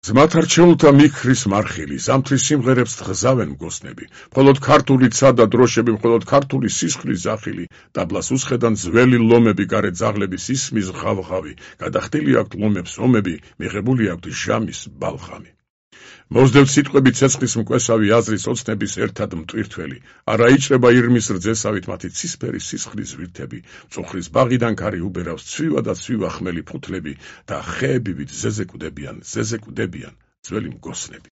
ზმათ არჩეულთა მიქრის მარხილი, ზამთრის სიმღერებს თხზავენ მგოსნები, მხოლოდ ქართული ცა და დროშები, მხოლოდ ქართული სისხლის ზახილი, ტაბლას უსხედან ძველი ლომები, გარეთ ძაღლების ისმის ღავღავი, გადახდილი აქვთ ლომებს ომები, მიღებული აქვთ ჟამის ბალხამი. მოსდევთ სიტყვები ცეცხლის მკვესავი აზრის ოცნების ერთად მტვირთველი, არა იჭრება ირმის რძესავით მათი ცისფერი სისხლის ვირთები, მწუხრის ბაღიდან ქარი უბერავს ცვივა და ცვივა ხმელი ფუთლები და ხეებივით ზეზე კვდებიან ძველი მგოსნები.